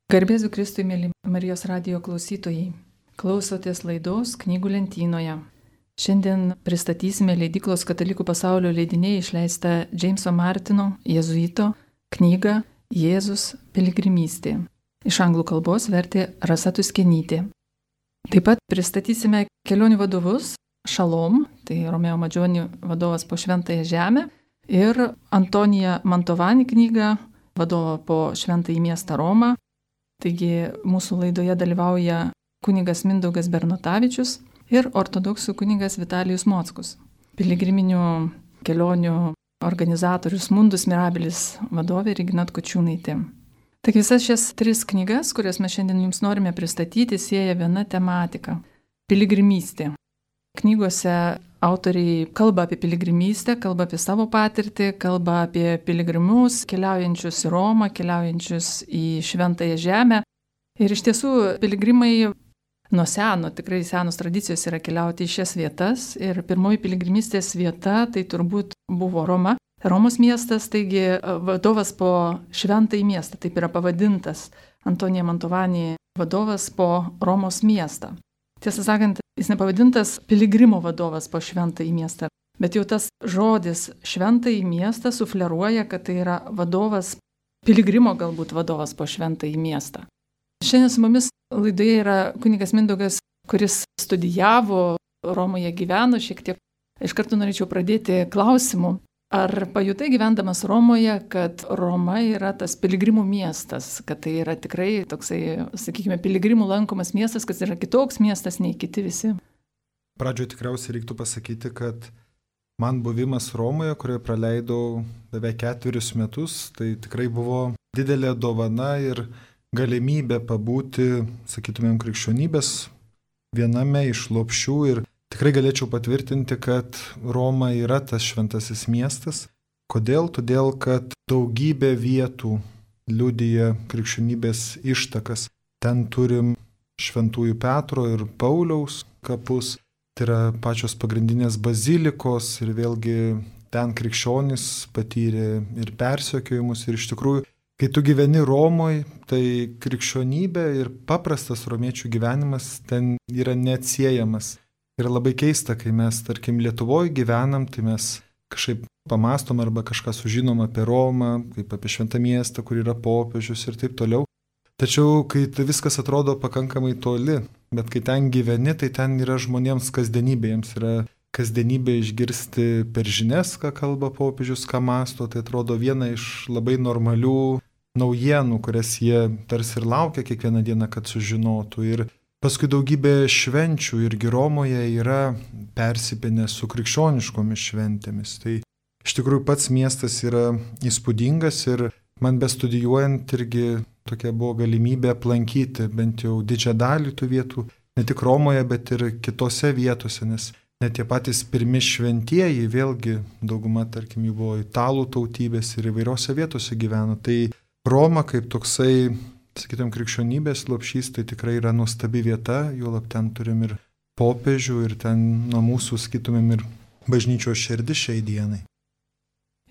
Garbėsiu Kristui, mėly Marijos radijo klausytojai. Klausotės laidos Knygų lentynoje. Šiandien pristatysime leidyklos Katalikų pasaulio leidiniai išleistą Džeimso Martino, jėzuito, knygą Jėzus piligrimystė. Iš anglų kalbos vertė Rasa Tuskenytė. Taip pat pristatysime kelionių vadovus Šalom, tai Romeo Madžioni vadovas po Šventąją žemę, ir Antonija Mantovani knygą vadovą po Šventąjį miestą Romą. Taigi mūsų laidoje dalyvauja kunigas Mindaugas Bernotavičius ir ortodoksų kunigas Vitalijus Mockus. Piligriminių kelionių organizatorius Mundus Mirabilis vadovė Regina Tkočiūnaitė. Taigi visas šias 3 knygas, kurias mes šiandien jums norime pristatyti, sieja viena tematika – piligrimystė. Knygose autoriai kalba apie piligrimystę, kalba apie savo patirtį, kalba apie piligrimus, keliaujančius į Romą, keliaujančius į Šventąją žemę. Ir iš tiesų piligrimai nuo seno, tikrai senos tradicijos yra keliauti į šias vietas. Ir pirmoji piligrimystės vieta tai turbūt buvo Roma. Romos miestas, taigi vadovas po Šventąjį miestą, taip yra pavadintas. Antonija Mantovani vadovas po Romos miestą. Tiesą sakant, jis nepavadintas piligrimo vadovas po Šventąjį miestą, bet jau tas žodis Šventąjį miestą sufleruoja, kad tai yra vadovas, piligrimo galbūt vadovas po Šventąjį miestą. Šiandien su mumis laidoje yra kunigas Mindaugas, kuris studijavo Romoje, gyveno šiek tiek. Iš karto norėčiau pradėti klausimu. Ar pajutai gyvendamas Romoje, kad Roma yra tas piligrimų miestas, kad tai yra tikrai toksai, sakykime, piligrimų lankomas miestas, kad yra kitoks miestas nei kiti visi? Pradžioje tikriausiai reiktų pasakyti, kad man buvimas Romoje, kurioje praleidau beveik 4 metus, tai tikrai buvo didelė dovana ir galimybė pabūti, sakytumėm, krikščionybės viename iš lopšių ir tikrai galėčiau patvirtinti, kad Roma yra tas šventasis miestas. Kodėl? Todėl, kad daugybė vietų liudija krikščionybės ištakas. Ten turim Šventųjų Petro ir Pauliaus kapus, tai yra pačios pagrindinės bazilikos ir vėlgi ten krikščionys patyrė ir persekiojimus. Ir iš tikrųjų, kai tu gyveni Romoje, tai krikščionybė ir paprastas romiečių gyvenimas ten yra neatsiejamas. Ir labai keista, kai mes, tarkim, Lietuvoje gyvenam, tai mes kažkaip pamastom arba kažką sužinom apie Romą, kaip apie šventą miestą, kur yra popiežius ir taip toliau. Tačiau, kai tai viskas atrodo pakankamai toli, bet kai ten gyveni, tai ten yra žmonėms kasdienybė, jiems yra kasdienybė išgirsti per žinias, ką kalba popiežius, ką mąsto, tai atrodo viena iš labai normalių naujienų, kurias jie tarsi ir laukia kiekvieną dieną, kad sužinotų. Ir paskui daugybė švenčių irgi Romoje yra persipinę su krikščioniškomis šventėmis. Tai iš tikrųjų pats miestas yra įspūdingas ir man bestudijuojant irgi tokia buvo galimybė aplankyti bent jau didžiąją dalį tų vietų, ne tik Romoje, bet ir kitose vietose, nes net tie patys pirmi šventieji, vėlgi dauguma, tarkim, jų buvo italų tautybės ir įvairiose vietose gyveno. Tai Roma kaip toksai, sakytum, krikščionybės lopšys, tai tikrai yra nuostabi vieta, juolab ten turim ir popiežių ir ten nuo mūsų, sakytumėm, ir bažnyčios širdis šiai dienai.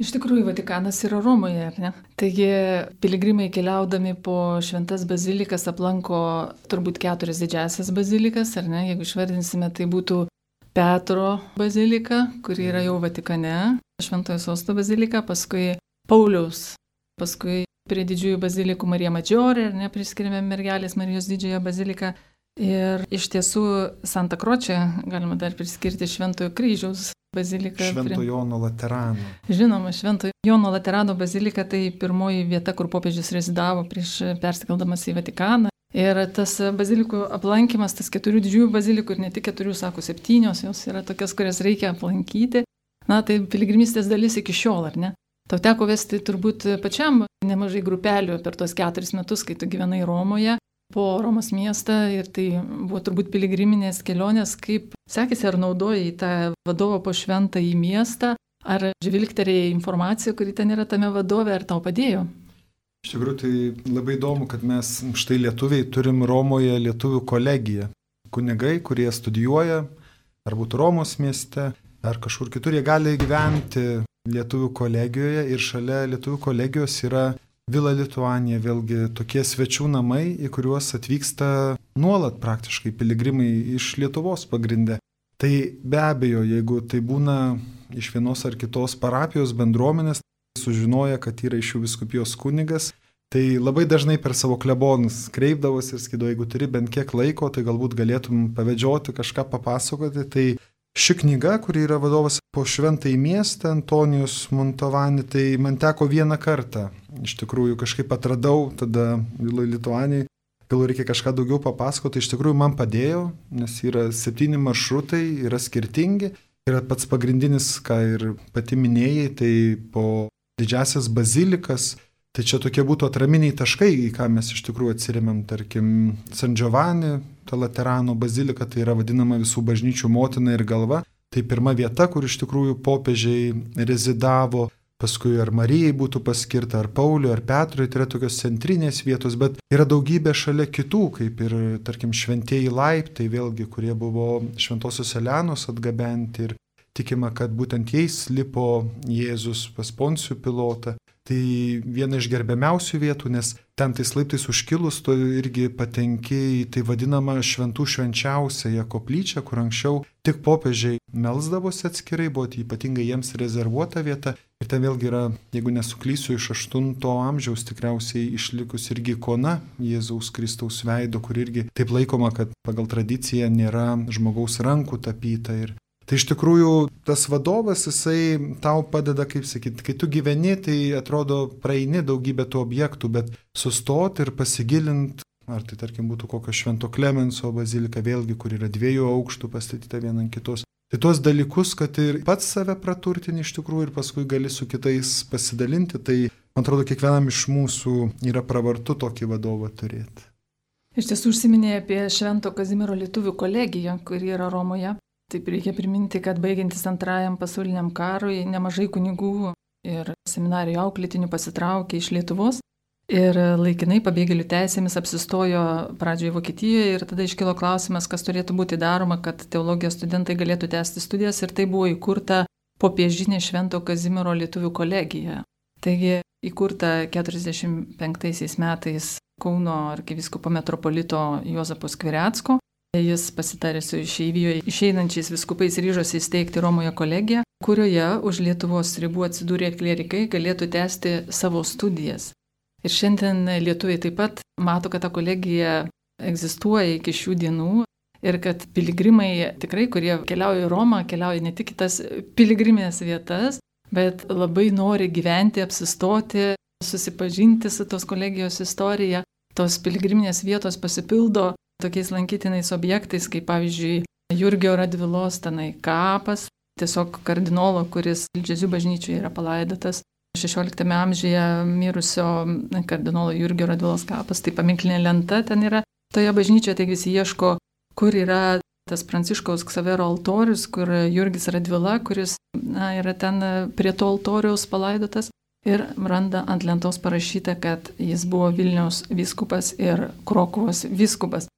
Iš tikrųjų, Vatikanas yra Romoje, ar ne? Taigi piligrimai keliaudami po šventas bazilikas aplanko turbūt 4 didžiasias bazilikas, ar ne? Jeigu išvardinsime, tai būtų Petro bazilika, kuri yra jau Vatikane, Šventojo Sosto bazilika, paskui Pauliaus, paskui prie didžiųjų bazilikų Marija Madžiorė, ar ne, priskiriame mergelės Marijos didžiąją baziliką. Ir iš tiesų Santa Kročė galima dar priskirti Šventojo Kryžiaus baziliką. Švento Jono Laterano. Žinoma, Švento Jono Laterano bazilika tai pirmoji vieta, kur popiežius rezidavo prieš persikeldamas į Vatikaną. Ir tas bazilikų aplankymas, tas 4 didžiųjų bazilikų, ir ne tik 4, sako 7, jos yra tokias, kurias reikia aplankyti. Na, tai piligrimystės dalis iki šiol, ar ne? Tau teko vesti turbūt pačiam nemažai grupelių per tos 4 metus, kai tu gyvenai Romoje, po Romos miestą, ir tai buvo turbūt piligriminės kelionės. Kaip sekėsi, ar naudojai tą vadovą po Šventąjį miestą, ar žvilgterėjai informaciją, kuri ten yra tame vadove, ar tau padėjo? Iš tikrųjų, tai labai įdomu, kad mes štai lietuviai turim Romoje lietuvių kolegiją. Kunigai, kurie studijuoja, ar būtų Romos mieste, ar kažkur kitur, jie gali gyventi lietuvių kolegijoje, ir šalia lietuvių kolegijos yra Vila Lituanija, vėlgi tokie svečių namai, į kuriuos atvyksta nuolat praktiškai piligrimai iš Lietuvos pagrinde. Tai be abejo, jeigu tai būna iš vienos ar kitos parapijos bendruomenės, sužinoja, kad yra iš jų vyskupijos kunigas, tai labai dažnai per savo klebonus kreipdavosi ir sakydavo, jeigu turi bent kiek laiko, tai galbūt galėtum pavedžioti, kažką papasakoti. Tai ši knyga, kuri yra vadovas po šventąjį miestą, Antonijus Mantovani, tai man teko vieną kartą. Iš tikrųjų kažkaip atradau tada Viloj Lituanijai, gal reikia kažką daugiau papasakoti, iš tikrųjų man padėjo, nes yra 7 maršrutai, yra skirtingi. Yra pats pagrindinis, ką ir pati minėjai, tai po didžiasias bazilikas. Tai čia tokie būtų atraminiai taškai, į ką mes iš tikrųjų atsiremiam, tarkim, San Giovanni, ta Laterano bazilika, tai yra vadinama visų bažnyčių motina ir galva. Tai pirma vieta, kur iš tikrųjų popiežiai rezidavo, paskui ar Marijai būtų paskirta, ar Pauliui, ar Petrui, tai yra tokios centrinės vietos, bet yra daugybė šalia kitų, kaip ir, tarkim, šventieji laiptai, vėlgi, kurie buvo Šventosios Elenos atgabenti ir tikima, kad būtent jais lipo Jėzus pas Poncijų Pilotą. Tai viena iš gerbiamiausių vietų, nes ten tais laiptais užkilus, tu irgi patenki į tai vadinamą šventų švenčiausiąją koplyčią, kur anksčiau tik popiežiai melsdavosi atskirai, buvo ypatingai jiems rezervuota vieta. Ir ten vėlgi yra, jeigu nesuklysiu, iš 8 amžiaus tikriausiai išlikus irgi ikona Jėzaus Kristaus veido, kur irgi taip laikoma, kad pagal tradiciją nėra žmogaus rankų tapyta. Ir tai iš tikrųjų tas vadovas, jisai tau padeda, kaip sakyti, kai tu gyveni, tai atrodo praeini daugybę tų objektų, bet sustoti ir pasigilinti, ar tai tarkim būtų kokio Švento Klemenso bazilika, vėlgi, kur yra 2 aukštų pastatyta viena ant kitos. Tai tuos dalykus, kad ir pats save praturtini iš tikrųjų ir paskui gali su kitais pasidalinti, tai man atrodo kiekvienam iš mūsų yra pravartu tokį vadovą turėti. Iš tiesų užsiminė apie Švento Kazimiero lietuvių kolegiją, kuri yra Romoje. Taip reikia priminti, kad baigiantis Antrajam pasauliniam karui nemažai kunigų ir seminarijų auklėtinių pasitraukė iš Lietuvos ir laikinai pabėgėlių teisėmis apsistojo pradžioje Vokietijoje ir tada iškilo klausimas, kas turėtų būti daroma, kad teologijos studentai galėtų tęsti studijas ir tai buvo įkurta popiežinė Švento Kazimiero lietuvių kolegija. Taigi įkurta 45 metais Kauno arkivyskupo metropolito Juozapo Skvirecko. Jis pasitarė su išeivijoje išeinančiais vyskupais ryžosi įsteigti Romoje kolegiją, kurioje už Lietuvos ribų atsidūrę klierikai galėtų tęsti savo studijas. Ir šiandien lietuviai taip pat mato, kad ta kolegija egzistuoja iki šių dienų ir kad piligrimai tikrai, kurie keliauja į Romą, keliauja ne tik į tas piligrimės vietas, bet labai nori gyventi, apsistoti, susipažinti su tos kolegijos istorija. Tos piligriminės vietos pasipildo tokiais lankytinais objektais, kaip pavyzdžiui Jurgio Radvilos tenai kapas, tiesiog kardinolo, kuris Ilžezių bažnyčioje yra palaidotas. 16 amžiuje mirusio kardinolo Jurgio Radvilos kapas, tai paminklinė lenta ten yra toje bažnyčioje, taigi visi ieško, kur yra tas Pranciškaus Ksavero altorius, kur Jurgis Radvila, kuris yra ten prie to altoriaus palaidotas. Ir randa ant lentos parašyta, kad jis buvo Vilniaus vyskupas ir Krokuvos vyskupas.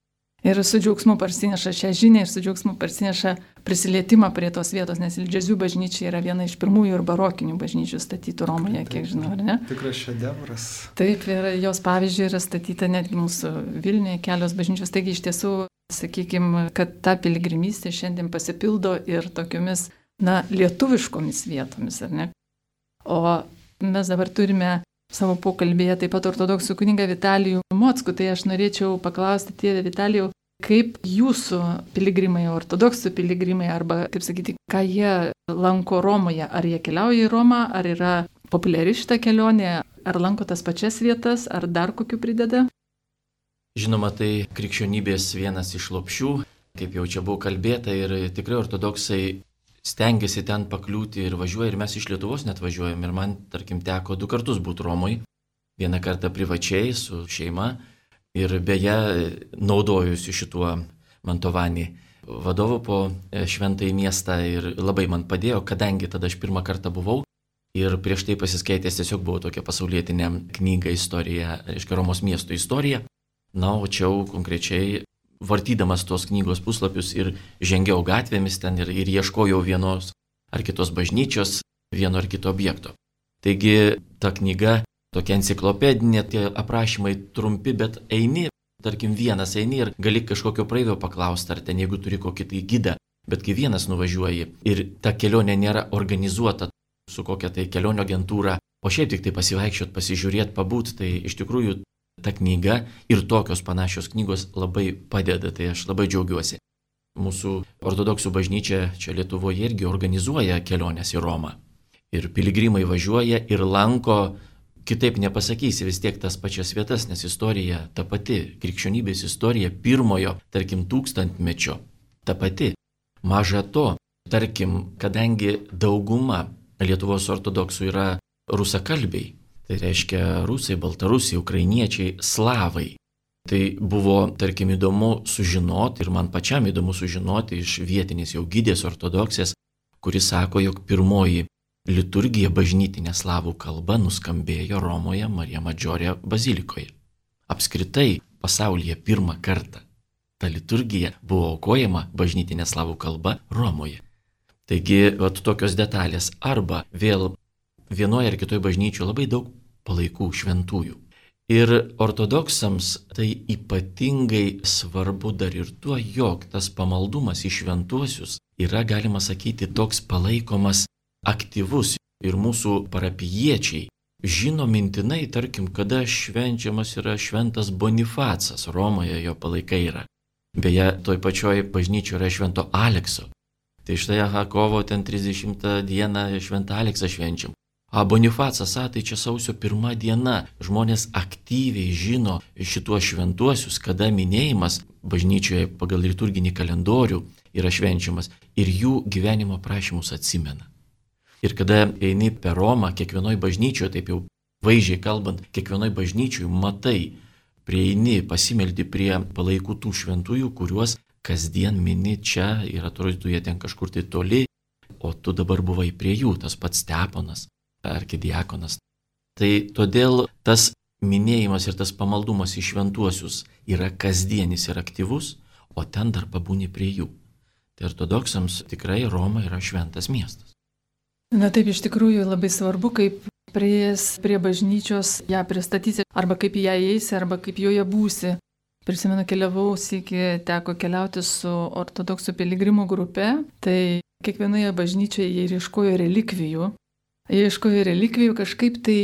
Ir su džiaugsmu parsineša šią žinią ir su džiaugsmu parsineša prisilietimą prie tos vietos, nes Ilžezių bažnyčia yra viena iš pirmųjų ir barokinių bažnyčių statytų Romoje, kiek žinau, ar ne? Tikras šedevras. Taip, ir jos pavyzdžiui yra statyta netgi mūsų Vilniuje kelios bažnyčios. Taigi iš tiesų, sakykime, kad ta piligrimystė šiandien pasipildo ir tokiomis, lietuviškomis vietomis, ar ne? O mes dabar turime savo pokalbėje taip pat ortodoksų kunigą Vitalijų Mockų, tai aš norėčiau paklausti, tėve Vitalijau, kaip jūsų piligrimai, ortodoksų piligrimai, arba, kaip sakyti, ką jie lanko Romoje, ar jie keliauja į Romą, ar yra populiari šita kelionė, ar lanko tas pačias vietas, ar dar kokių prideda? Žinoma, tai krikščionybės vienas iš lopšių, kaip jau čia buvo kalbėta, ir tikrai ortodoksai stengiasi ten pakliūti ir važiuoja, ir mes iš Lietuvos net važiuojam. Ir man, tarkim, teko 2 kartus būti Romoje. Vieną kartą privačiai su šeima ir beje naudojusi šituo Mantovani vadovu po šventąjį miestą ir labai man padėjo, kadangi tada aš pirmą kartą buvau ir prieš tai pasiskaitęs tiesiog buvo tokia pasaulietinė knyga istorija, reiškia Romos miesto istorija. Na, o čia konkrečiai vartydamas tos knygos puslapius ir žengiau gatvėmis ten ir ieškojau vienos ar kitos bažnyčios, vieno ar kito objekto. Taigi ta knyga tokia enciklopedinė, tie aprašymai trumpi, bet eini, tarkim vienas eini ir gali kažkokio praeivio paklausti, ar ten jeigu turi kokį tai gidą, bet kai vienas nuvažiuoji ir ta kelionė nėra organizuota su kokia tai kelionių agentūra, o šiaip tik tai pasivaikščiot, pasižiūrėti, pabūt, tai iš tikrųjų ta knyga ir tokios panašios knygos labai padeda, tai aš labai džiaugiuosi. Mūsų ortodoksų bažnyčia čia Lietuvoje irgi organizuoja keliones į Romą. Ir piligrimai važiuoja ir lanko, kitaip nepasakysi, vis tiek tas pačias vietas, nes istorija ta pati, krikščionybės istorija pirmojo, tarkim, 1000-mečio, ta pati. Maža to, tarkim, kadangi dauguma Lietuvos ortodoksų yra rusakalbiai, tai reiškia rusai, baltarusiai, ukrainiečiai, slavai. Tai buvo, tarkim, įdomu sužinoti ir man pačiam įdomu sužinoti iš vietinės jau gidės ortodoksės, kuris sako, jog pirmoji liturgija bažnytinė slavų kalba nuskambėjo Romoje Marija Madžiorė bazilikoje. Apskritai pasaulyje pirmą kartą ta liturgija buvo aukojama bažnytinė slavų kalba Romoje. Taigi, tokios detalės arba vėl vienoje ar kitoje bažnyčioje labai daug palaikų šventųjų. Ir ortodoksams tai ypatingai svarbu dar ir tuo, jog tas pamaldumas į šventuosius yra, galima sakyti, toks palaikomas aktyvus ir mūsų parapijiečiai žino mintinai, tarkim, kada švenčiamas yra šventas Bonifacas, Romoje jo palaikai yra. Beje, toj pačioj bažnyčioje yra švento Alekso. Tai štai, kovo ten 30 dieną šventą Aleksą švenčiam. Bonifacas, tai čia sausio 1 diena. Žmonės aktyviai žino šituos šventuosius, kada minėjimas bažnyčioje pagal liturginį kalendorių yra švenčiamas ir jų gyvenimo prašymus atsimena. Ir kada eini per Romą, kiekvienoj bažnyčioje, taip jau vaizdžiai kalbant, kiekvienoj bažnyčioje matai, prieini, pasimeldi prie palaikų tų šventųjų, kuriuos kasdien mini čia ir atrodytų jie ten kažkur tai toli, o tu dabar buvai prie jų, tas pats Steponas, arkidiakonas. Tai todėl tas minėjimas ir tas pamaldumas į šventuosius yra kasdienis ir aktyvus, o ten dar pabūni prie jų. Tai ortodoksams tikrai Roma yra šventas miestas. Na taip, iš tikrųjų labai svarbu, kaip prieėjęs prie bažnyčios ją pristatysi, arba kaip į ją eisi, arba kaip joje būsi. Prisimenu, keliavau, sykį teko keliauti su ortodoksų piligrimų grupe, tai kiekvienoje bažnyčioje jie ieškojo relikvijų. Jie ieškojo relikvijų kažkaip tai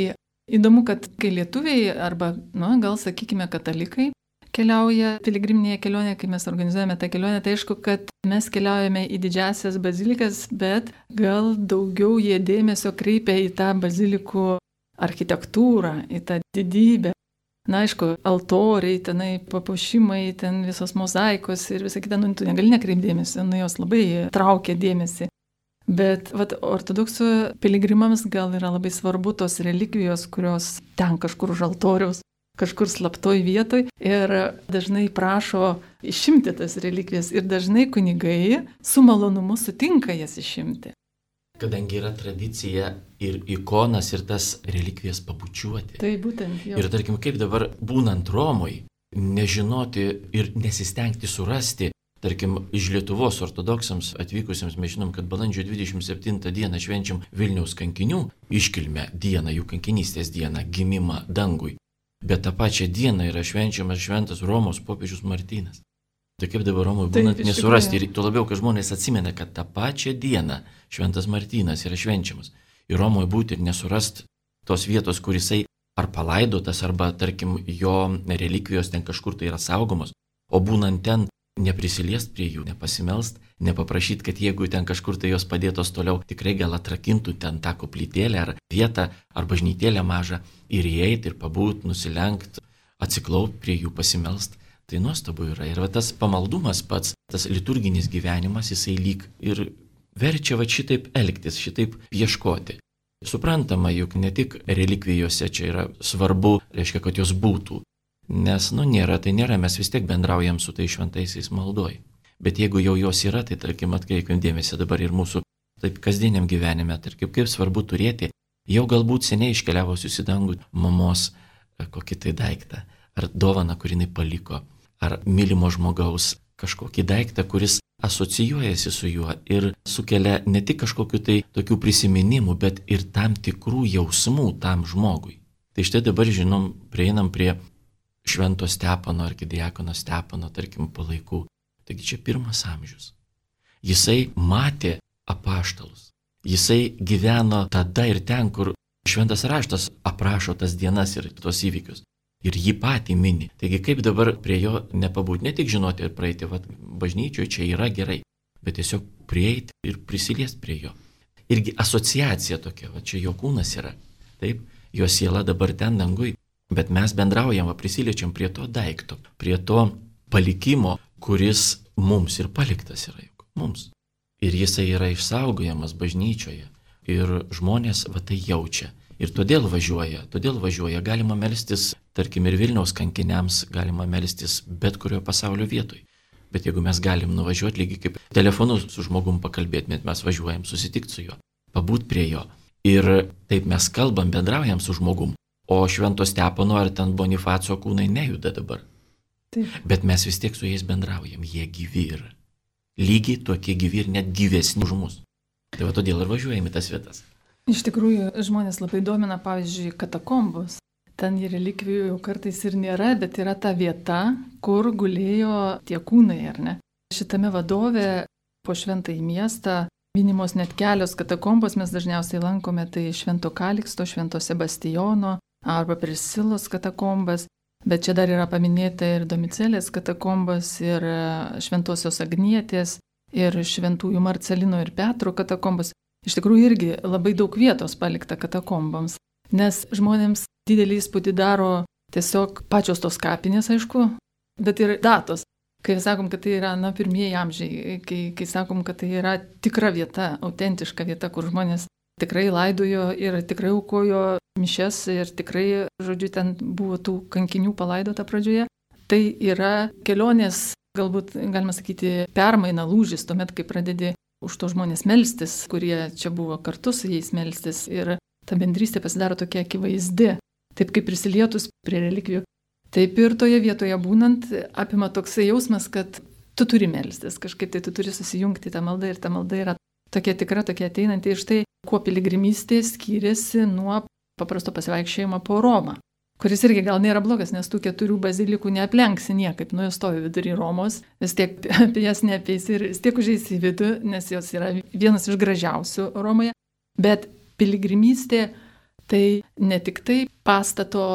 įdomu, kad kai lietuviai arba, gal sakykime, katalikai keliauja piligriminėje kelionėje, kai mes organizuojame tą kelionę, tai aišku, kad mes keliaujame į didžiasias bazilikas, bet gal daugiau jie dėmesio kreipia į tą bazilikų architektūrą, į tą didybę. Na, aišku, altoriai, tenai papuošimai, ten visos mozaikos ir visa kita, tu negali nekreipdėmėsi, jos labai traukia dėmesį. Bet ortodoksų piligrimams gal yra labai svarbu tos relikvijos, kurios ten kažkur už altoriaus, kažkur slaptoj vietoj ir dažnai prašo išimti tas relikvijas ir dažnai kunigai su malonumu sutinka jas išimti. Kadangi yra tradicija ir ikonas ir tas relikvijas pabučiuoti. Tai būtent jo. Ir tarkim, kaip dabar būnant Romoj, nežinoti ir nesistengti surasti, tarkim, iš Lietuvos ortodoksams atvykusiems mes žinom, kad balandžio 27 dieną švenčiam Vilniaus kankinių iškilmę dieną, jų kankinystės dieną, gimimą dangui. Bet tą pačią dieną yra švenčiamas šventas Romos popiežius Martynas. Tai kaip dabar Romoje būnant nesurasti, ir tuo labiau, kad žmonės atsimena, kad tą pačią dieną šventas Martynas yra švenčiamas. Ir Romoje būti ir nesurasti tos vietos, kur jisai ar palaidotas, arba, tarkim, jo relikvijos ten kažkur tai yra saugomos, o būnant ten neprisiliest prie jų, nepasimelst, nepaprašyti, kad jeigu ten kažkur tai jos padėtos toliau, tikrai gal atrakintų ten tą koplytėlę ar vietą, ar bažnytėlę mažą ir įeiti ir pabūt, nusilenkt, atsiklaupt prie jų, pasimelst. Tai nuostabu yra. Ir tas pamaldumas pats, tas liturginis gyvenimas, jisai lyg ir verčia šitaip elgtis, šitaip ieškoti. Suprantama, juk ne tik relikvijose čia yra svarbu, reiškia, kad jos būtų. Nes, nėra, tai nėra, mes vis tiek bendraujam su tai šventaisiais maldoj. Bet jeigu jau jos yra, tai tarkim, atkreipkim dėmesį dabar ir mūsų taip kasdieniam gyvenime, tarkim, kaip svarbu turėti jau galbūt seniai iškeliavusius į dangų mamos kokį tai daiktą, ar dovaną, kurį jinai paliko, ar mylimo žmogaus kažkokį daiktą, kuris asocijuojasi su juo ir sukelia ne tik kažkokiu tai tokių prisiminimų, bet ir tam tikrų jausmų tam žmogui. Tai štai dabar, žinom, prieinam prie Švento Stepono, arkidiakono Stepono, tarkim, palaikų. Taigi čia 1 amžius. Jisai matė apaštalus. Jisai gyveno tada ir ten, kur Šventas raštas aprašo tas dienas ir tos įvykius. Ir jį patį mini. Taigi kaip dabar prie jo nepabūti, ne tik žinoti ir praeiti, bažnyčioje čia yra gerai, bet tiesiog prieiti ir prisiliesti prie jo. Irgi asociacija tokia, čia jo kūnas yra. Taip, jo siela dabar ten dangui, bet mes bendraujam, prisiliečiam prie to daikto, prie to palikimo, kuris mums ir paliktas yra juk, mums. Ir jisai yra išsaugojamas bažnyčioje. Ir žmonės tai jaučia. Ir todėl važiuoja. Galima melstis, tarkim, ir Vilniaus kankiniams, galima melstis bet kurio pasaulio vietoj. Bet jeigu mes galim nuvažiuoti lygiai kaip telefonu su žmogum pakalbėti, bet mes važiuojam susitikti su juo, pabūt prie jo. Ir taip mes kalbam, bendraujam su žmogum. O Švento Stepono ar ten Bonifaco kūnai nejuda dabar. Taip. Bet mes vis tiek su jais bendraujam, jie gyvi yra. Lygiai tokie gyvi ir net gyvesni už mus. Tai todėl ir važiuojame į tas vietas. Iš tikrųjų, žmonės labai domina, pavyzdžiui, katakombos. Ten relikvijų jau kartais ir nėra, bet yra ta vieta, kur gulėjo tie kūnai, ar ne? Šitame vadove po Šventąjį miestą minimos net kelios katakombos, mes dažniausiai lankome, tai Švento Kaliksto, Švento Sebastijono arba Prisilos katakombas. Bet čia dar yra paminėta ir Domicelės katakombas, ir Šventosios Agnietės, ir Šventųjų Marcelino ir Petro katakombas. Iš tikrųjų irgi labai daug vietos palikta katakombams, nes žmonėms didelį įspūdį daro tiesiog pačios tos kapinės, aišku, bet ir datos. Kai sakom, kad tai yra pirmieji amžiai, kai sakom, kad tai yra tikra vieta, autentiška vieta, kur žmonės tikrai laidojo ir tikrai aukojo mišias ir tikrai, žodžiu, ten buvo tų kankinių palaidota pradžioje. Tai yra kelionės, galbūt galima sakyti, permaina, lūžis, tuomet, kai pradedi už to žmonės melstis, kurie čia buvo kartu su jais melstis ir ta bendrystė pasidaro tokia akivaizdi. Taip kaip prisilietus prie relikvijų, taip ir toje vietoje būnant apima toksai jausmas, kad tu turi melstis, kažkaip tai tu turi susijungti tą maldą ir ta malda yra tokia tikra, tokia ateinanti. Ir štai, kuo piligrimystė skiriasi nuo paprasto pasivaikščiojimo po Romą, kuris irgi gal nėra blogas, nes tų 4 bazilikų neaplenksi niekaip, jos stovi vidury Romos, vis tiek apie jas neapeisi ir vis tiek užeisi į vidų, nes jos yra vienas iš gražiausių Romoje. Bet piligrimystė tai ne tik tai pastato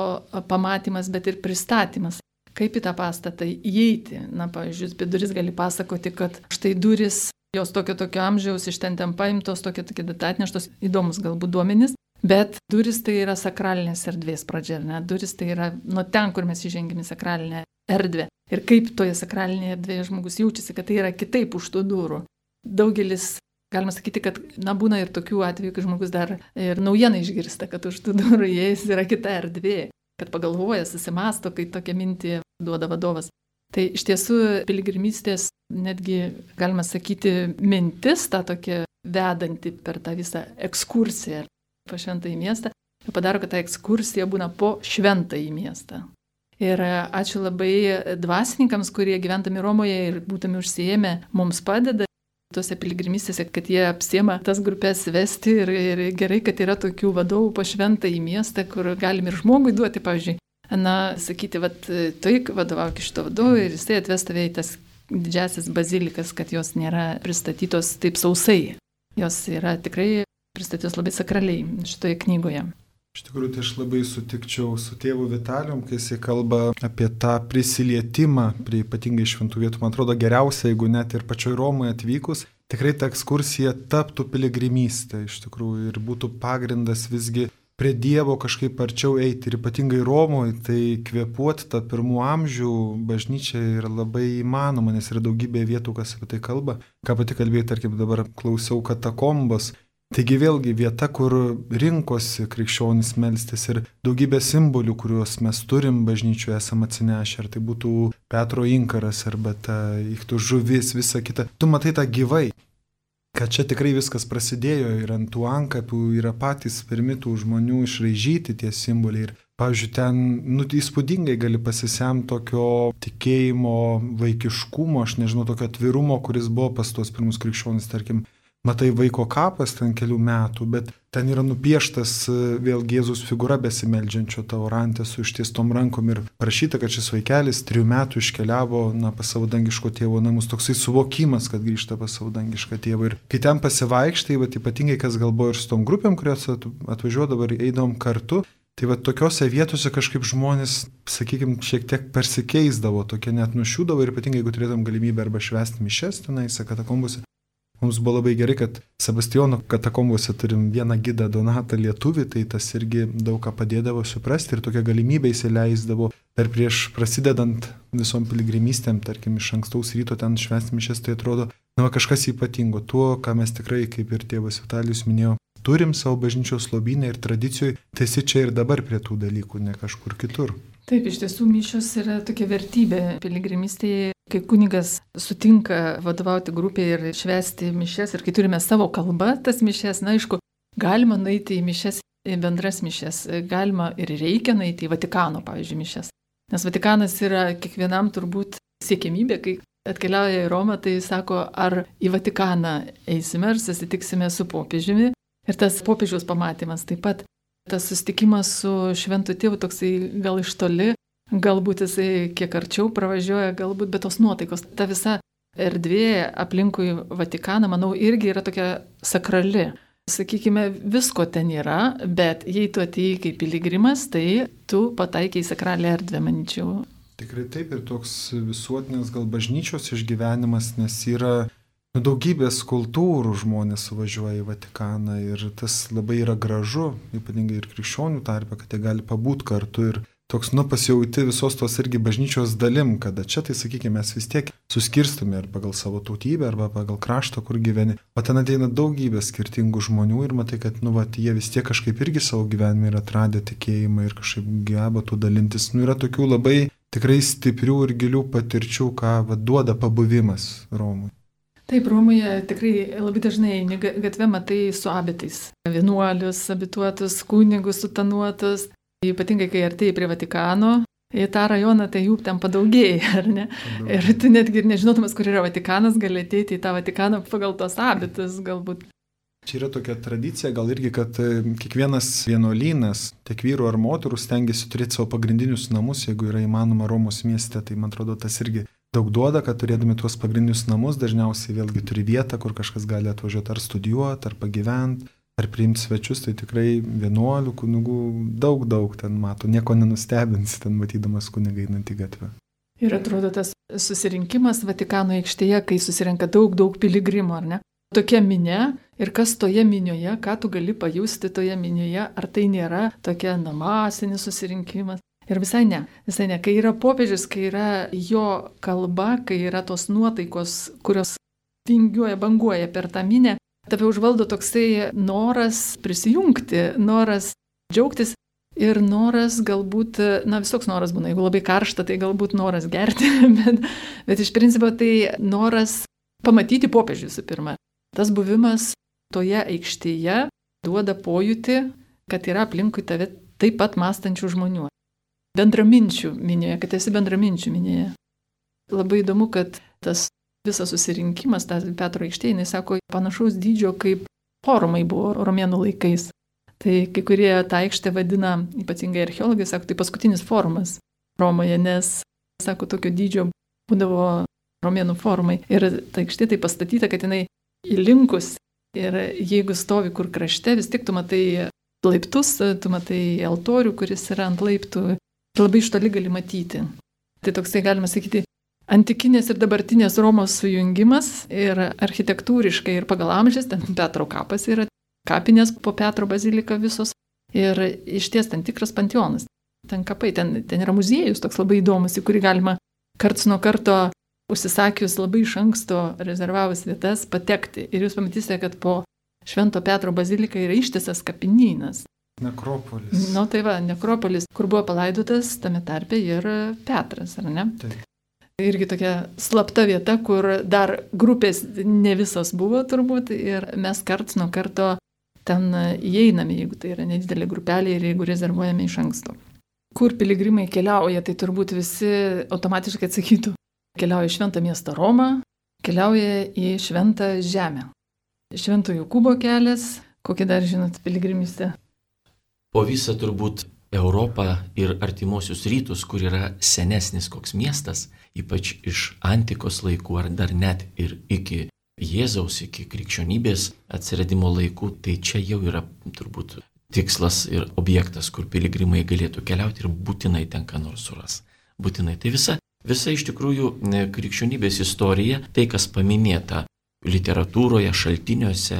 pamatymas, bet ir pristatymas. Kaip į tą pastatą įeiti? Na, pavyzdžiui, apie duris gali pasakoti, kad štai duris, jos tokio amžiaus iš ten paimtos, tokie atneštos, įdomus galbūt duomenys. Bet duris tai yra sakralinės erdvės pradžia, ne? Duris tai yra nuo ten, kur mes įžengėme į sakralinę erdvę. Ir kaip toje sakralinėje erdvėje žmogus jaučiasi, kad tai yra kitaip už tų durų. Daugelis, galima sakyti, kad būna ir tokių atvejų, kai žmogus dar ir naujieną išgirsta, kad už tų durų jais yra kita erdvė, kad pagalvoja, susimasto, kai tokią mintį duoda vadovas. Tai iš tiesų piligrimystės netgi, galima sakyti, mintis tą tokia vedanti per tą visą ekskursiją po Šventąjį miestą, jau padaro, kad ta ekskursija būna po Šventąjį miestą. Ir ačiū labai dvasininkams, kurie gyventami Romoje ir būtami užsiėmę, mums padeda tose piligrimystėse, kad jie apsiema tas grupės vesti ir gerai, kad yra tokių vadovų po Šventąjį miestą, kur galim ir žmogui duoti, pavyzdžiui, sakyti, tu vadovauk iš to vadovo ir jisai atves tave į tas didžiasis bazilikas, kad jos nėra pristatytos taip sausai. Jos yra tikrai pristatytos labai sakraliai šitoje knygoje. Iš tikrųjų, tai aš labai sutikčiau su tėvu Vitalijum, kai jisai kalba apie tą prisilietimą prie ypatingai šventų vietų. Man atrodo geriausia, jeigu net ir pačioj Romoje atvykus, tikrai ta ekskursija taptų piligrimystė iš tikrųjų ir būtų pagrindas visgi prie Dievo kažkaip arčiau eiti. Ir ypatingai Romoje, tai kvėpuoti tą 1 amžių bažnyčią yra labai įmanoma, nes yra daugybė vietų, kas apie tai kalba. Ką pati kalbėjai, tarkim, dabar klausiau katakombos. Taigi vėlgi vieta, kur rinkosi krikščionys melstis ir daugybė simbolių, kuriuos mes turim bažnyčioje esam atsinešę, ar tai būtų Petro inkaras, arba ta ichtų žuvis, visa kita. Tu matai tą gyvai, kad čia tikrai viskas prasidėjo ir ant tų antkapių yra patys pirmi tų žmonių išraižyti tie simboliai. Ir, pavyzdžiui, ten įspūdingai gali pasisemti tokio tikėjimo, vaikiškumo, aš nežinau, tokio atvirumo, kuris buvo pas tuos pirmus krikščionys, tarkim, matai vaiko kapas ten kelių metų, bet ten yra nupieštas vėl Jėzus figūra besimeldžiančio taurantė su ištiestom rankom ir parašyta, kad šis vaikelis 3 metų iškeliavo pas savo dangiško tėvo namus. Toksai suvokimas, kad grįžta pas savo dangišką tėvą. Ir kai ten pasivaikštai, ypatingai kas galvoja ir su tom grupėm, kurios atvažiuodavo ir eidavom kartu, tai tokiose vietose kažkaip žmonės, sakykime, šiek tiek persikeisdavo, tokie net nušiūdavo ir ypatingai jeigu turėtum galimybę arba švęsti mišes tenais katakombose. Mums buvo labai gerai, kad Sebastijono katakombose turim vieną gidą Donatą lietuvį, tai tas irgi daug ką padėdavo suprasti ir tokia galimybė įsileisdavo. Dar prieš prasidedant visom piligrimystėm, tarkim, iš ankstaus ryto ten švęsti mišes, tai atrodo, kažkas ypatingo. Tuo, ką mes tikrai, kaip ir tėvas Vitalijus minėjo, turim savo bažnyčios lobyne ir tradicijoje, tai esi čia ir dabar prie tų dalykų, ne kažkur kitur. Taip, iš tiesų mišios yra tokia vertybė piligrimystėje, kai kunigas sutinka vadovauti grupėje ir švęsti mišes ir kai turime savo kalbą tas mišes, aišku, galima nueiti į mišes, į bendras mišes, galima ir reikia nueiti į Vatikano, pavyzdžiui, mišes. Nes Vatikanas yra kiekvienam turbūt siekiamybė, kai atkeliauja į Romą, tai sako, ar į Vatikaną eisime, ar susitiksime su popiežiumi ir tas popiežiaus pamatymas taip pat. Tas susitikimas su šventu tėvu toksai gal iš toli, galbūt jisai kiek arčiau pravažiuoja, galbūt, bet tos nuotaikos, ta visa erdvė aplinkui Vatikaną, manau, irgi yra tokia sakrali. Sakykime, visko ten yra, bet jei tu atėjai kaip piligrimas, tai tu pataikiai į sakralią erdvę, manyčiau. Tikrai taip ir toks visuotinės gal bažnyčios išgyvenimas, nes yra daugybės kultūrų žmonės suvažiuoja į Vatikaną ir tas labai yra gražu, ypatingai ir krikščionių tarpe, kad jie gali pabūt kartu ir toks, pasijauti visos tos irgi bažnyčios dalim, kada čia, tai sakykime, mes vis tiek suskirstume ar pagal savo tautybę, arba pagal kraštą, kur gyveni, o ten ateina daugybė skirtingų žmonių ir matai, kad, jie vis tiek kažkaip irgi savo gyvenime yra atradę tikėjimą ir kažkaip geba tų dalintis. Yra tokių labai tikrai stiprių ir gilių patirčių, ką duoda pabuvimas Romui. Taip, Romoje tikrai labai dažnai gatvė matai su abitais. Vienuolius, abituotus, kunigus, sutanuotus. Ypatingai, kai artėjai prie Vatikano, į tą rajoną, tai jų ten padaugėja, ar ne? Ir tu netgi ir nežinodamas, kur yra Vatikanas, gali ateiti į tą Vatikaną pagal tos abitus galbūt. Čia yra tokia tradicija, gal irgi, kad kiekvienas vienuolynas, tiek vyrų ar moterų, stengiasi turėti savo pagrindinius namus, jeigu yra įmanoma Romos mieste, tai man atrodo, tas irgi daug duoda, kad turėdami tuos pagrindinius namus, dažniausiai vėlgi turi vietą, kur kažkas gali atvažiuoti ar studijuoti, ar pagyventi, ar priimti svečius, tai tikrai vienuolių, kunigų daug ten mato, nieko nenustebinsi ten matydamas kunigą einantį gatvę. Ir atrodo tas susirinkimas Vatikano aikštėje, kai susirenka daug piligrimų, ar ne? Tokia minia ir kas toje minioje, ką tu gali pajusti toje minioje, ar tai nėra tokia masinis susirinkimas. Ir visai ne. Kai yra popiežius, kai yra jo kalba, kai yra tos nuotaikos, kurios vingiuoja, banguoja per tą minę, tave užvaldo toksai noras prisijungti, noras džiaugtis ir noras galbūt, visoks noras būna, jeigu labai karšta, tai galbūt noras gerti, bet iš principo tai noras pamatyti popiežių visų pirma. Tas buvimas toje aikštėje duoda pojūtį, kad yra aplinkui tave taip pat mąstančių žmonių. Bendraminčių minėje, kad esi bendraminčių minėje. Labai įdomu, kad tas visas susirinkimas, tas Petro aikštė, jis sako, panašaus dydžio kaip forumai buvo romėnų laikais. Tai kai kurie tą aikštę vadina, ypatingai archeologai, sako, tai paskutinis forumas Romoje, nes, sako, tokio dydžio būdavo romėnų forumai. Ir ta aikštė tai pastatyta, kad jinai įlinkus ir jeigu stovi kur krašte, vis tik tu matai laiptus, tu matai altorių, kuris yra ant laiptų. Labai iš toli gali matyti. Tai toksai, galima sakyti, antikinės ir dabartinės Romos sujungimas ir architektūriškai ir pagal amžius, ten Petro kapas yra, kapinės po Petro bazilika visos ir išties ten tikras panteonas. Ten kapai, ten yra muziejus toks labai įdomus, į kurį galima karts nuo karto užsisakius labai iš anksto rezervavus vietas patekti. Ir jūs pamatysite, kad po Švento Petro bazilika yra ištisas kapinynas. Nekropolis. Tai va, nekropolis, kur buvo palaidotas tame tarpe ir Petras, ar ne? Taip. Irgi tokia slapta vieta, kur dar grupės ne visos buvo turbūt ir mes karts nuo karto ten įeiname, jeigu tai yra nedidelė grupelė ir jeigu rezervuojame iš anksto. Kur piligrimai keliauja, tai turbūt visi automatiškai atsakytų. Keliauja į šventą miestą Romą, keliauja į šventą žemę. Švento Jokūbo kelias, kokį dar žinot piligrimystę? Po visą turbūt Europą ir artimuosius rytus, kur yra senesnis koks miestas, ypač iš antikos laikų ar dar net ir iki Jėzaus, iki krikščionybės atsiradimo laikų, tai čia jau yra turbūt tikslas ir objektas, kur piligrimai galėtų keliauti ir būtinai ten ką nors suras. Būtinai. Tai visa iš tikrųjų krikščionybės istorija, tai kas paminėta literatūroje, šaltiniuose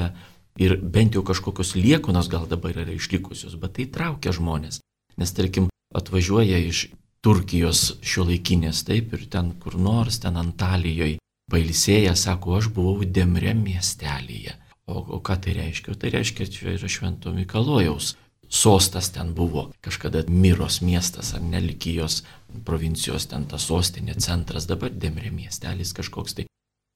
ir bent jau kažkokios liekunos gal dabar yra išlikusios, bet tai traukia žmonės. Nes tarkim atvažiuoja iš Turkijos šiuolaikinės, taip, ir ten kur nors, ten Antalijoje, pailsėję, sako, aš buvau Demre miestelyje. O ką tai reiškia? Tai reiškia, čia yra Švento Mikalojaus sostas ten buvo. Kažkada Miros miestas ar Nelikijos provincijos ten ta sostinė, centras, dabar Demre miestelis kažkoks tai.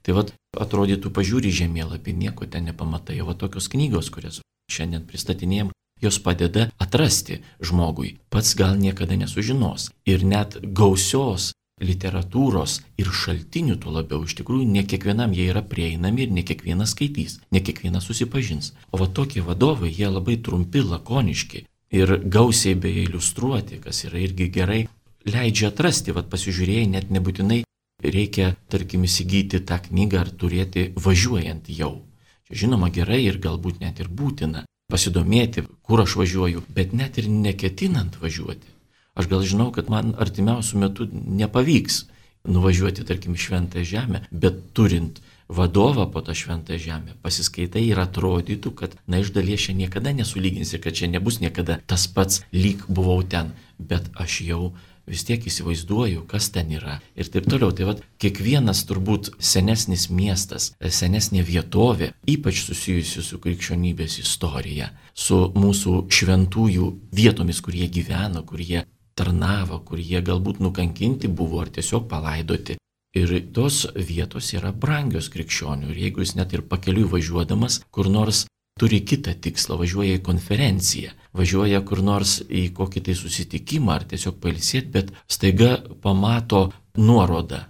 Tai vat atrodytų pažiūri žemėlapį, nieko ten nepamatai. O tokios knygos, kurias šiandien pristatinėjom, jos padeda atrasti žmogui. Pats gal niekada nesužinos. Ir net gausios literatūros ir šaltinių tuo labiau iš tikrųjų ne kiekvienam jie yra prieinami ir ne kiekvienas skaitys, ne kiekvienas susipažins. O va tokie vadovai, jie labai trumpi, lakoniški ir gausiai beje iliustruoti, kas yra irgi gerai, leidžia atrasti, va pasižiūrėjai, net nebūtinai reikia, tarkim, įsigyti tą knygą ar turėti važiuojant jau. Čia žinoma gerai ir galbūt net ir būtina pasidomėti, kur aš važiuoju, bet net ir neketinant važiuoti. Aš gal žinau, kad man artimiausių metų nepavyks nuvažiuoti, tarkim, Šventąją žemę, bet turint vadovą po tą Šventąją žemę, pasiskaitai ir atrodytų, kad, iš dalies čia niekada nesulyginsi, kad čia nebus niekada tas pats, lyg buvau ten, bet aš jau vis tiek įsivaizduoju, kas ten yra ir taip toliau. Tai vat, kiekvienas turbūt senesnis miestas, senesnė vietovė, ypač susijusi su krikščionybės istorija, su mūsų šventųjų vietomis, kur jie gyveno, kur jie tarnavo, kur jie galbūt nukankinti buvo ar tiesiog palaidoti. Ir tos vietos yra brangios krikščionių. Ir jeigu jis net ir pakeliui važiuodamas, kur nors turi kitą tikslą, važiuoja į konferenciją, važiuoja kur nors į kokį tai susitikimą ar tiesiog pailsėti, bet staiga pamato nuorodą.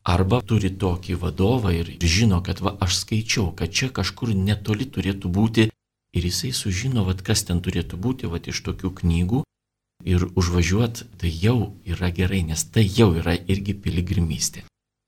Arba turi tokį vadovą ir žino, kad aš skaičiau, kad čia kažkur netoli turėtų būti ir jisai sužino, kas ten turėtų būti iš tokių knygų. Ir užvažiuot tai jau yra gerai, nes tai jau yra irgi piligrimystė.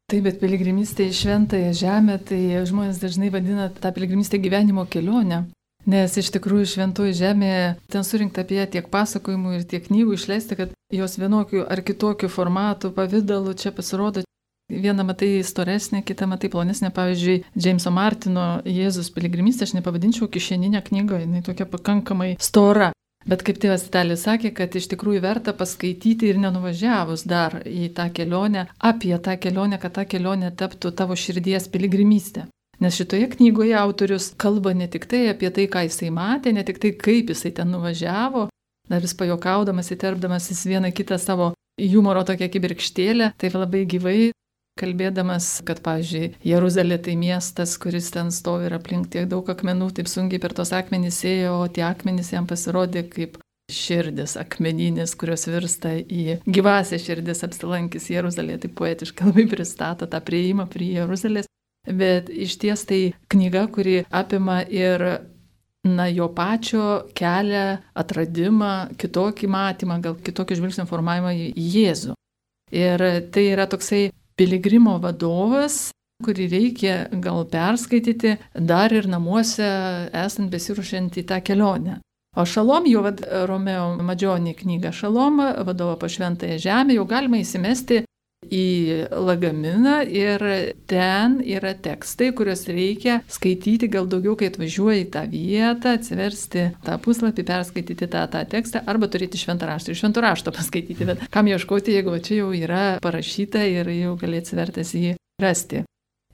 Taip, bet piligrimystė į Šventąją žemę, tai žmonės dažnai vadina tą piligrimystę gyvenimo kelionę. Nes iš tikrųjų Šventoji žemė, ten surinkta apie ją tiek pasakojimų ir tiek knygų išleista, kad jos vienokių ar kitokių formatų, pavydalų čia pasirodo. Vieną matai storesnė, kitą matai plonesnė. Pavyzdžiui, Jameso Martino Jėzus piligrimystė aš nepavadinčiau kišeninę knygą, jinai tokia pakankamai stora. Bet kaip tėvas Vitalijus sakė, kad iš tikrųjų verta paskaityti ir nenuvažiavus dar į tą kelionę, apie tą kelionę, kad ta kelionė taptų tavo širdies piligrimystė. Nes šitoje knygoje autorius kalba ne tik tai apie tai, ką jisai matė, ne tik tai, kaip jisai ten nuvažiavo, dar vis pajokaudamas, įterpdamas jis vieną kitą savo humoro tokią kibirkštėlę, taip labai gyvai kalbėdamas, kad, pavyzdžiui, Jeruzalė tai miestas, kuris ten stovi ir aplink tiek daug akmenų, taip sunkiai per tos akmenys ėjo, o tie akmenys jam pasirodė kaip širdis akmeninis, kurios virsta į gyvąsią širdis apsilankys Jeruzalėje, taip poetiškai labai pristato tą prieimą prie Jeruzalės. Bet iš ties tai knyga, kuri apima ir jo pačio kelią, atradimą, kitokį matymą, gal kitokį žvilgsnio formavimą į Jėzų. Ir tai yra toksai piligrimo vadovas, kurį reikia gal perskaityti dar ir namuose, esant besiruošiant į tą kelionę. O Šalom, jo Romeo Madžionį knygą Šalom, vadovo po Šventąją žemę, jau galima įsimesti į lagaminą ir ten yra tekstai, kuriuos reikia skaityti gal daugiau, kai atvažiuoji į tą vietą, atsiversti tą puslapį, perskaityti tą tekstą arba turėti šventą raštą ir švento rašto paskaityti. Bet kam ieškoti, jeigu čia jau yra parašyta ir jau gali atsivertęs jį rasti.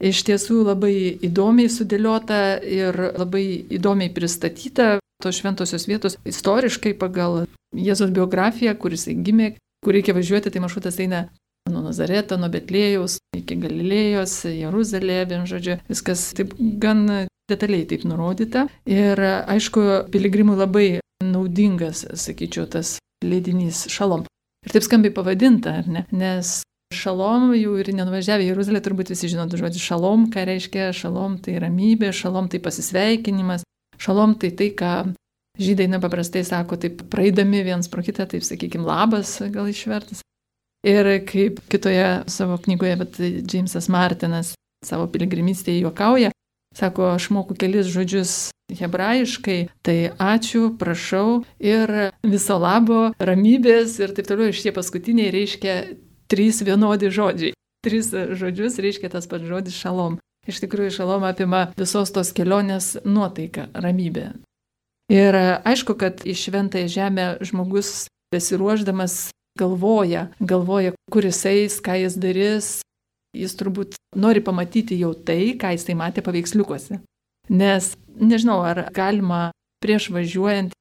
Iš tiesų labai įdomiai sudėliota ir labai įdomiai pristatyta tos šventosios vietos istoriškai pagal Jėzaus biografiją, kuris gimė, kur reikia važiuoti, tai maršrutas eina nuo Nazareto, nuo Betlėjaus iki Galilėjos, Jeruzalė, žodžiu, viskas taip gan detaliai taip nurodyta. Ir aišku, piligrimui labai naudingas, sakyčiau, tas leidinys Šalom. Ir taip skambiai pavadinta, ar ne? Nes šalom, jau ir nenuvažiavę į Jeruzalę, turbūt visi žino žodį šalom, ką reiškia šalom, tai ramybė, šalom tai pasisveikinimas, šalom tai tai, ką žydai paprastai sako, taip praeidami viens pro kitą, taip sakykime, labas gal išvertas. Ir kaip kitoje savo knygoje, bet Džeimsas Martinas savo piligrimystėje juokauja, sako, aš moku kelis žodžius hebrajiškai, tai ačiū, prašau ir viso labo, ramybės ir taip toliau. Ir šie paskutiniai reiškia 3 vienodi žodžiai. 3 žodžius reiškia tas pats žodis šalom. Iš tikrųjų, šalom apima visos tos kelionės nuotaiką, ramybę. Ir aišku, kad į šventąją žemę žmogus besiruošdamas galvoja, kur jis eis, ką jis darys. Jis turbūt nori pamatyti jau tai, ką jis tai matė paveiksliukuose. Nes nežinau, ar galima prieš važiuojant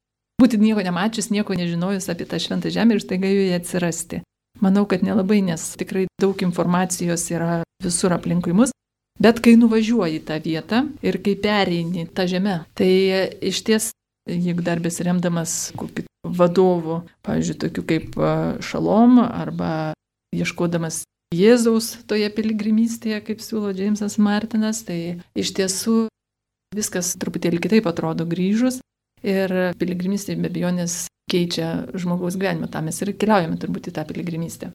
būti nieko nemačius, nieko nežinojus apie tą šventą žemę ir staiga joje atsirasti. Manau, kad nelabai, nes tikrai daug informacijos yra visur aplinkui mus. Bet kai nuvažiuoji tą vietą ir kai pereini tą žemę, tai iš ties, jeigu dar besiremdamas kokiu vadovu, pavyzdžiui, tokiu kaip Šalom arba ieškodamas Jėzaus toje piligrimystėje, kaip siūlo Džeimsas Martinas, tai iš tiesų viskas truputėlį kitaip atrodo grįžus ir piligrimystė be abejonės keičia žmogaus gyvenimą. Tam mes ir keliaujame turbūt į tą piligrimystę.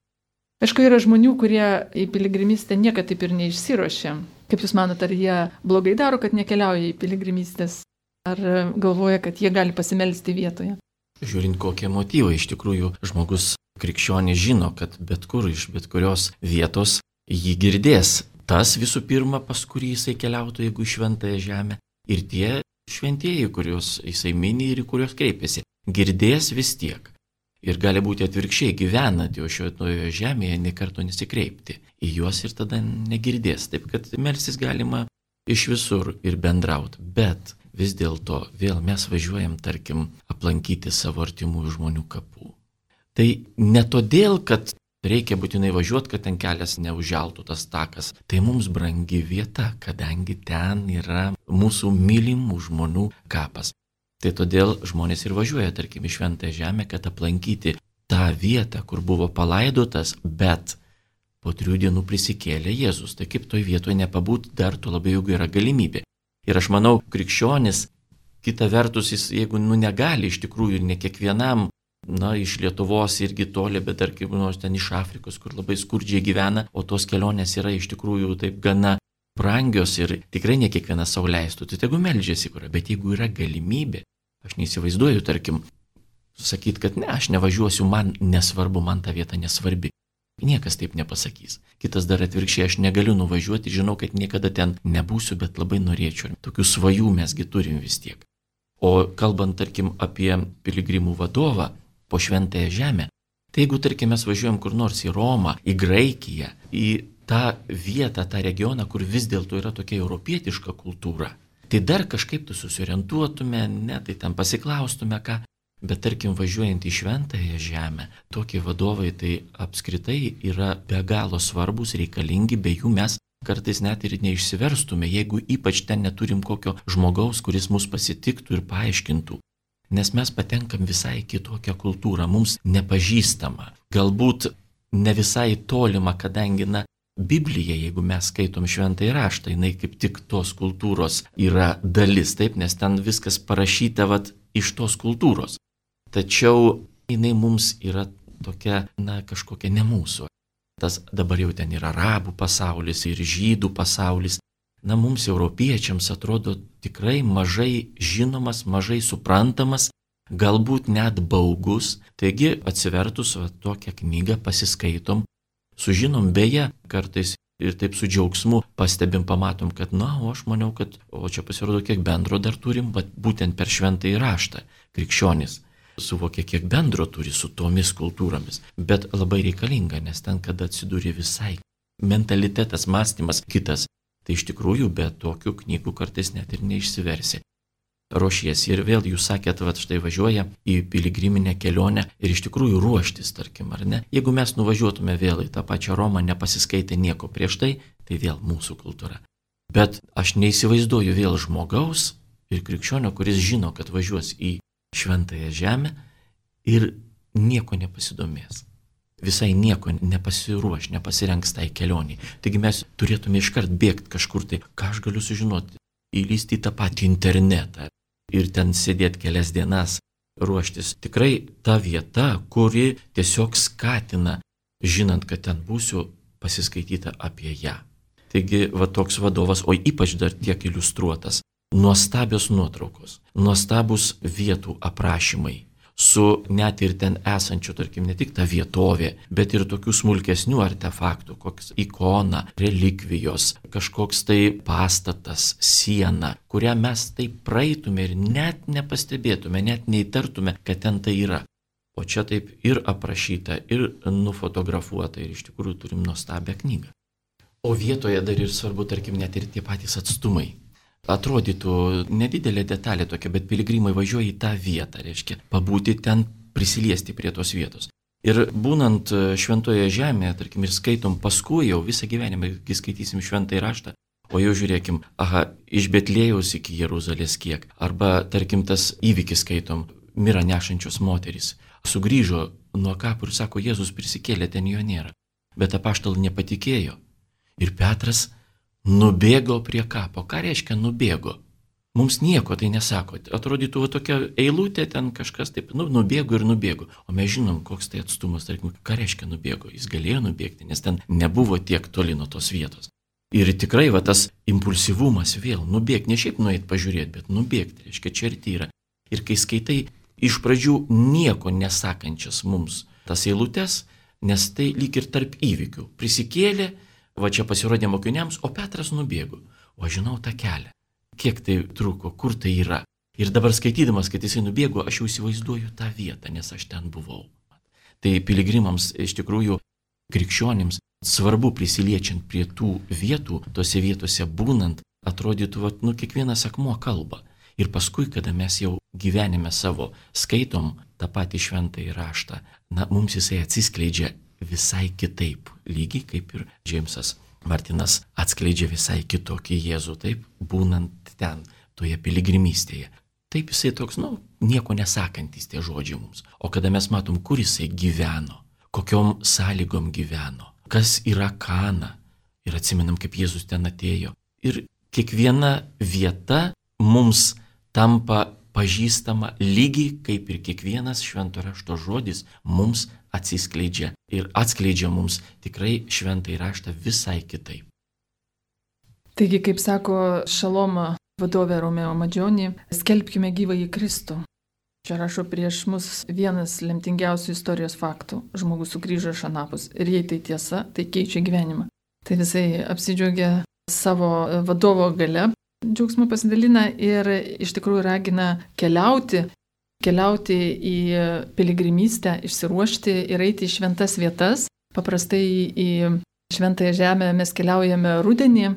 Aišku, yra žmonių, kurie į piligrimystę niekada taip ir neišsiruošia. Kaip Jūs manote, ar jie blogai daro, kad nekeliauja į piligrimystės? Ar galvoja, kad jie gali pasimelsti vietoje? Žiūrint, kokie motyvai, iš tikrųjų žmogus krikščionis žino, kad bet kur iš bet kurios vietos jį girdės. Tas visų pirma, pas kurį jisai keliautų, jeigu į šventąją žemę. Ir tie šventieji, kuriuos jisai mini ir į kuriuos kreipiasi, girdės vis tiek. Ir gali būti atvirkščiai, gyvenant jau šventojoje žemėje, nė karto nesikreipti. Į juos ir tada negirdės. Taip kad melstis galima iš visur ir bendrauti. Bet vis dėlto vėl mes važiuojam, tarkim, aplankyti savo artimųjų žmonių kapų. Tai ne todėl, kad reikia būtinai važiuoti, kad ten kelias neužželtų tas takas. Tai mums brangi vieta, kadangi ten yra mūsų mylimų žmonių kapas. Tai todėl žmonės ir važiuoja, tarkim, į šventąją žemę, kad aplankyti tą vietą, kur buvo palaidotas, bet po 3 dienų prisikėlė Jėzus. Tai kaip toj vietoje nepabūti, dar tuo labiau, jeigu yra galimybė. Ir aš manau, krikščionis, kita vertus, jis, jeigu negali iš tikrųjų, ne kiekvienam, iš Lietuvos irgi toli, bet dar kaip nors ten iš Afrikos, kur labai skurdžiai gyvena, o tos kelionės yra iš tikrųjų taip gana brangios ir tikrai ne kiekvienas sau leistų. Tai tegu meldžiasi, bet jeigu yra galimybė, aš neįsivaizduoju, tarkim, sakyti, kad ne, aš nevažiuosiu, man nesvarbu, man ta vieta nesvarbi. Niekas taip nepasakys. Kitas dar atvirkščiai, aš negaliu nuvažiuoti, žinau, kad niekada ten nebūsiu, bet labai norėčiau. Tokių svajų mesgi turim vis tiek. O kalbant, tarkim, apie piligrimų vadovą po šventąją žemę, tai jeigu, tarkim, mes važiuojam kur nors į Romą, į Graikiją, į tą vietą, tą regioną, kur vis dėlto yra tokia europietiška kultūra, tai dar kažkaip tu susiorientuotume, tai ten pasiklaustume ką. Bet tarkim, važiuojant į šventąją žemę, tokie vadovai tai apskritai yra be galo svarbus, reikalingi, be jų mes kartais net ir neišsiverstume, jeigu ypač ten neturim kokio žmogaus, kuris mus pasitiktų ir paaiškintų. Nes mes patenkam visai kitokią kultūrą, mums nepažįstama, galbūt ne visai tolima, kadangi, Biblija, jeigu mes skaitom šventąjį raštą, jinai kaip tik tos kultūros yra dalis, taip, nes ten viskas parašyta iš tos kultūros. Tačiau jinai mums yra tokia, kažkokia ne mūsų. Tas dabar jau ten yra arabų pasaulis ir žydų pasaulis. Mums europiečiams atrodo tikrai mažai žinomas, mažai suprantamas, galbūt net baugus. Taigi atsivertus tokią knygą pasiskaitom, sužinom beje kartais ir taip su džiaugsmu pastebim, pamatom, kad o aš maniau, kad čia pasirodo kiek bendro dar turim, bet būtent per šventąjį raštą krikščionis suvokia, kiek bendro turi su tomis kultūromis. Bet labai reikalinga, nes ten, kada atsidūrė visai mentalitetas, mąstymas kitas, tai iš tikrųjų be tokių knygų kartais net ir neišsiversi. Ruošiesi ir vėl jūs sakėt, štai važiuoja į piligriminę kelionę ir iš tikrųjų ruoštis, tarkim, ar ne? Jeigu mes nuvažiuotume vėl į tą pačią Romą, nepasiskaitę nieko prieš tai vėl mūsų kultūra. Bet aš neįsivaizduoju vėl žmogaus ir krikščionio, kuris žino, kad važiuos į šventąją žemę ir nieko nepasidomės. visai nieko nepasiruoš, nepasirengs tai kelioniai. Taigi mes turėtume iškart bėgti kažkur tai, ką aš galiu sužinoti, įlysti į tą patį internetą ir ten sėdėti kelias dienas, ruoštis. Tikrai ta vieta, kuri tiesiog skatina, žinant, kad ten būsiu, pasiskaityta apie ją. Taigi va toks vadovas, o ypač dar tiek iliustruotas, nuostabios nuotraukos, nuostabus vietų aprašymai, su net ir ten esančiu, tarkim, ne tik ta vietovė, bet ir tokių smulkesnių artefaktų, koks ikona, relikvijos, kažkoks tai pastatas, siena, kurią mes taip praeitume ir net nepastebėtume, net neįtartume, kad ten tai yra. O čia taip ir aprašyta, ir nufotografuota, ir iš tikrųjų turim nuostabią knygą. O vietoje dar ir svarbu, tarkim, net ir tie patys atstumai. Atrodytų nedidelė detalė tokia, bet piligrimai važiuoja į tą vietą, reiškia, pabūti ten, prisiliesti prie tos vietos. Ir būnant šventoje žemėje, tarkim, ir skaitom paskui jau visą gyvenimą, kai skaitysim šventąjį raštą, o jau žiūrėkim, iš Betlėjaus iki Jeruzalės kiek, arba, tarkim, tas įvykis skaitom, mirą nešančios moterys, sugrįžo nuo kapų ir sako, Jėzus prisikėlė, ten jo nėra, bet apaštalai nepatikėjo. Ir Petras nubėgo prie kapo. Ką reiškia nubėgo? Mums nieko tai nesako. Atrodytų tokia eilutė, ten kažkas taip, nubėgo ir nubėgo. O mes žinom, koks tai atstumas, tarkim, ką reiškia nubėgo. Jis galėjo nubėgti, nes ten nebuvo tiek toli nuo tos vietos. Ir tikrai tas impulsyvumas vėl nubėgti, ne šiaip nueit pažiūrėti, bet nubėgti, reiškia, čia ir tyra. Ir kai skaitai iš pradžių nieko nesakančias mums tas eilutes, nes tai lyg ir tarp įvykių. Prisikėlė, va čia pasirodė mokiniams, o Petras nubėgo. O aš žinau tą kelią. Kiek tai truko, kur tai yra. Ir dabar skaitydamas, kad jisai nubėgo, aš jau įsivaizduoju tą vietą, nes aš ten buvau. Tai piligrimams, iš tikrųjų, krikščionims, svarbu prisiliečiant prie tų vietų, tose vietose būnant, atrodytų, kiekvienas akmuo kalba. Ir paskui, kada mes jau gyvenime savo skaitom tą patį šventąjį raštą, mums jisai atsiskleidžia visai kitaip, lygiai kaip ir Džeimsas Martinas atskleidžia visai kitokį Jėzų, taip, būnant ten, toje piligrimystėje. Taip jisai toks, nieko nesakantis tie žodžiai mums. O kada mes matom, kur jisai gyveno, kokiom sąlygom gyveno, kas yra Kana, ir atsimenam, kaip Jėzus ten atėjo. Ir kiekviena vieta mums tampa pažįstama lygiai kaip ir kiekvienas švento rašto žodis mums atsiskleidžia ir atskleidžia mums tikrai šventąjį raštą visai kitaip. Taigi, kaip sako Šalomo vadovė Romeo Maggioni, skelbkime gyvąjį Kristų. Čia rašo prieš mus vienas lemtingiausių istorijos faktų. Žmogus sugrįžo iš anapus ir jei tai tiesa, tai keičia gyvenimą. Tai visai apsidžiaugia savo vadovo gale. Džiaugsmu pasidalina ir iš tikrųjų ragina keliauti į piligrimystę, išsiruošti ir eiti į šventas vietas. Paprastai į šventąją žemę mes keliaujame rudenį,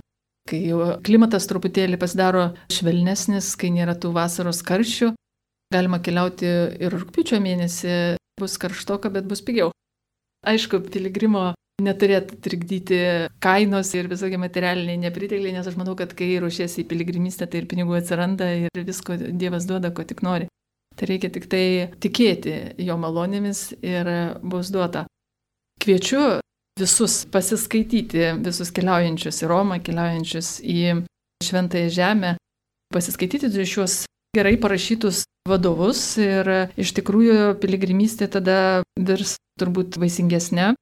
kai klimatas truputėlį pasidaro švelnesnis, kai nėra tų vasaros karščių. Galima keliauti ir rugpjūčio mėnesį, bus karštoka, bet bus pigiau. Aišku, piligrimo neturėtų trikdyti kainos ir visokie materialiniai nepritekliai, nes aš manau, kad kai ruošiesi į piligrimystę, tai ir pinigų atsiranda ir visko Dievas duoda, ko tik nori. Tai reikia tik tai tikėti jo malonėmis ir bus duota. Kviečiu visus pasiskaityti, visus keliaujančius į Romą, keliaujančius į šventąją žemę, pasiskaityti šios gerai parašytus vadovus ir iš tikrųjų piligrimystė tada virs turbūt vaisingesnė.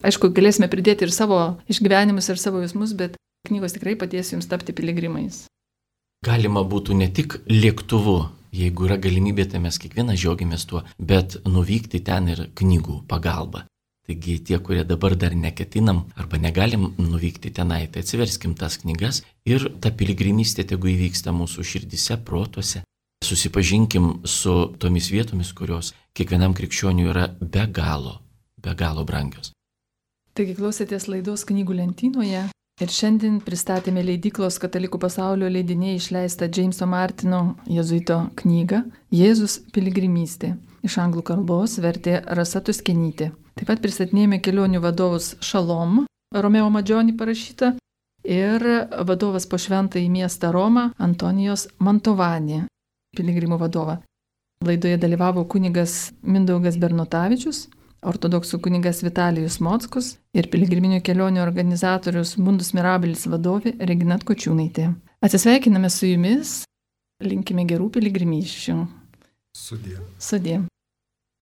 Aišku, galėsime pridėti ir savo išgyvenimus ir savo jausmus, bet knygos tikrai padės jums tapti piligrimais. Galima būtų ne tik lėktuvu, jeigu yra galimybė, tai mes kiekvienas džiaugiamės tuo, bet nuvykti ten ir knygų pagalba. Taigi tie, kurie dabar dar neketinam arba negalim nuvykti tenai, tai atsiverskim tas knygas ir ta piligrimystė tegu įvyksta mūsų širdise, protuose. Susipažinkim su tomis vietomis, kurios kiekvienam krikščioniui yra be galo brangios. Taigi klausėtės laidos Knygų lentynoje ir šiandien pristatėme leidyklos Katalikų pasaulio leidiniai išleistą Jameso Martino jėzuito knygą Jėzus piligrimystė. Iš anglų kalbos vertė Rasa Tuskenytė. Taip pat pristatinėjome kelionių vadovus Šalom, Romeo Maggioni parašyta, ir vadovas po šventąjį miestą Romą Antonijos Mantovani, piligrimų vadovą. Laidoje dalyvavo kunigas Mindaugas Bernotavičius, ortodoksų kunigas Vitalijus Mockus ir piligriminių kelionių organizatorius Mundus Mirabilis vadovė Regina Atkočiūnaitė. Atsisveikiname su jumis, linkime gerų piligrimysčių. Sudie. Sudie.